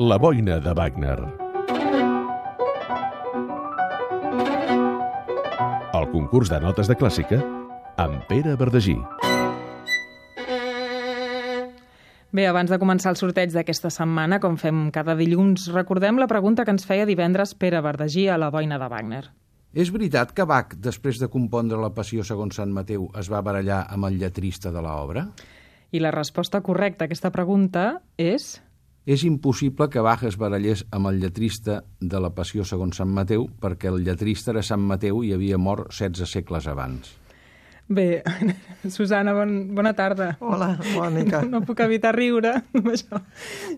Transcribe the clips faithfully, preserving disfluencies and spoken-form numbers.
La boina de Wagner. El concurs de notes de clàssica amb Pere Verdagí. Bé, abans de començar el sorteig d'aquesta setmana, com fem cada dilluns, recordem la pregunta que ens feia divendres Pere Verdagí a La boina de Wagner. És veritat que Bach, després de compondre la Passió segons Sant Mateu, es va barallar amb el lletrista de l'obra? I la resposta correcta a aquesta pregunta és... És impossible que Bach es barallés amb el lletrista de la Passió segons Sant Mateu perquè el lletrista era Sant Mateu i havia mort setze segles abans. Bé, Susana, bon, bona tarda. Hola, Mònica. No, no puc evitar riure amb això.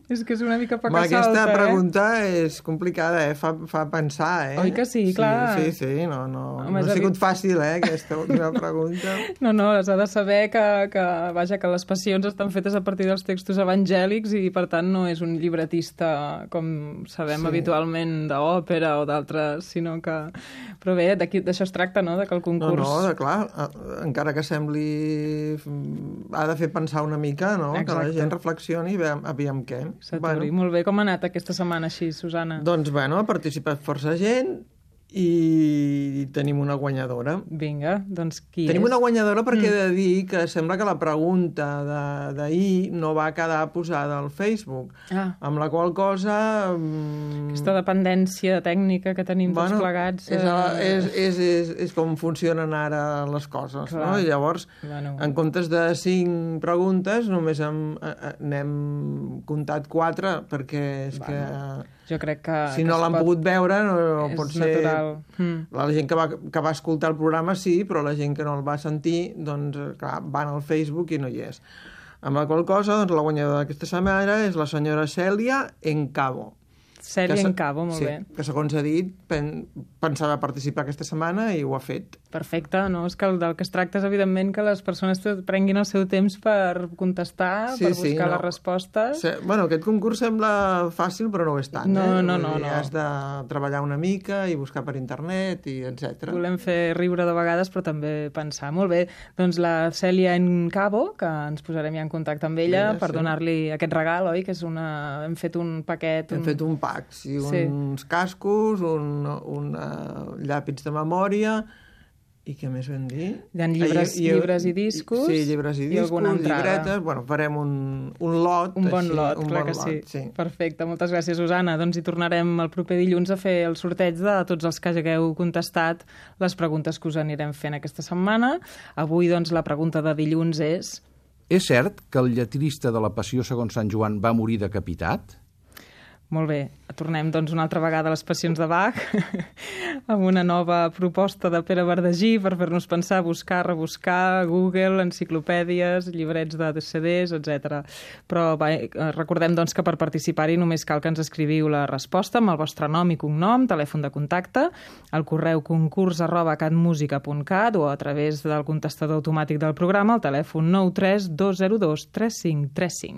És que és una mica poca aquesta salta, eh? pregunta és complicada, eh? Fa, fa pensar, eh? Oi que sí, clar. Sí, sí, sí. No, no, Home, no ha sigut fàcil, eh, aquesta última pregunta. No, no, has de saber que, que, vaja, que les passions estan fetes a partir dels textos evangèlics i, per tant, no és un llibretista, com sabem sí. habitualment, d'òpera o d'altres, sinó que... Però bé, d'això es tracta, no?, de que el concurs... No, no, de, clar, encara que sembli... ha de fer pensar una mica, no?, Exacte. Que la gent reflexioni i veiem, aviam què. Bueno. Molt bé, com ha anat aquesta setmana així, Susana? Doncs, bueno, ha participat força gent i tenim una guanyadora. Vinga, doncs qui tenim és? Tenim una guanyadora perquè mm. he de dir que sembla que la pregunta d'ahir no va quedar posada al Facebook, ah. amb la qual cosa... Aquesta dependència tècnica que tenim bueno, tots plegats... És, és, és, és, és com funcionen ara les coses, Clar. no? I llavors, bueno. en comptes de cinc preguntes, només hem, n'hem comptat quatre, perquè és bueno. que... Jo crec que... Si no l'han pot... pogut veure, no, no pot ser... natural. Mm. La gent que va, que va escoltar el programa sí, però la gent que no el va sentir, doncs, clar, van al Facebook i no hi és. Amb la qual cosa, doncs, la guanyadora d'aquesta setmana és la senyora Cèlia Encabo. Cèlia Encabo, molt sí, bé. Que, segons ha dit, pen, pensava participar aquesta setmana i ho ha fet. Perfecte, no? És que el del que es tracta és, evidentment, que les persones prenguin el seu temps per contestar, sí, per buscar sí, no. les respostes. Sí, bueno, aquest concurs sembla fàcil, però no ho és tant, no, eh? No, no, no. Has de treballar una mica i buscar per internet, i etcètera. Volem fer riure de vegades, però també pensar. Molt bé, doncs la Cèlia Encabo, que ens posarem ja en contacte amb ella, ella per sí. donar-li aquest regal, oi? Que és una... Hem fet un paquet... Hem un... fet un pack, sí, sí. uns cascos, un, un uh, llàpits de memòria... I què més vam dir? Hi ha llibres i, i, llibres i discos. Sí, llibres i discos, i llibretes. Bueno, farem un, un lot. Un bon així, lot, un clar bon que lot, sí. sí. Perfecte, moltes gràcies, Susana. Doncs hi tornarem el proper dilluns a fer el sorteig de tots els que hagueu contestat les preguntes que us anirem fent aquesta setmana. Avui, doncs, la pregunta de dilluns és... És cert que el lletrista de la Passió segons Sant Joan va morir decapitat? Molt bé, tornem doncs una altra vegada a les passions de Bach amb una nova proposta de Pere Verdagí per fer-nos pensar, buscar, rebuscar, Google, enciclopèdies, llibrets de C Ds, etcètera. Però va, recordem doncs que per participar-hi només cal que ens escriviu la resposta amb el vostre nom i cognom, telèfon de contacte, al correu concurs arroba catmusica punt cat o a través del contestador automàtic del programa al telèfon nou tres dos zero dos tres cinc tres cinc.